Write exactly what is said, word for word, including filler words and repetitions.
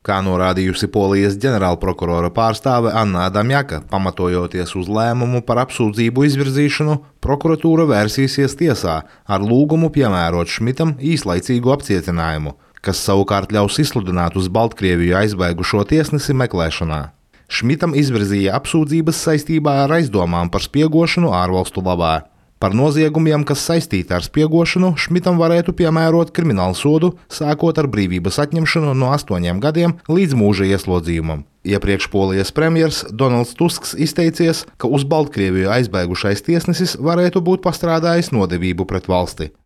Kā norādījusi Polijas ģenerālprokurora pārstāve Anna Adamjaka, pamatojoties uz lēmumu par apsūdzību izvirzīšanu, prokuratūra vērsīsies tiesā ar lūgumu piemērot Šmitam īslaicīgu apcietinājumu, kas savukārt ļaus izsludināt uz Baltkrieviju aizbēgušo tiesnesi meklēšanā. Šmitam izvirzīja apsūdzības saistībā ar aizdomām par spiegošanu ārvalstu labā. Par noziegumiem, kas saistīti ar spiegošanu, Šmitam varētu piemērot kriminālu sodu, sākot ar brīvības atņemšanu no astoņiem gadiem līdz mūža ieslodzījumam. Iepriekš Polijas premjers Donalds Tusks izteicies, ka uz Baltkrieviju aizbēgušais tiesnesis varētu būt pastrādājis nodevību pret valsti.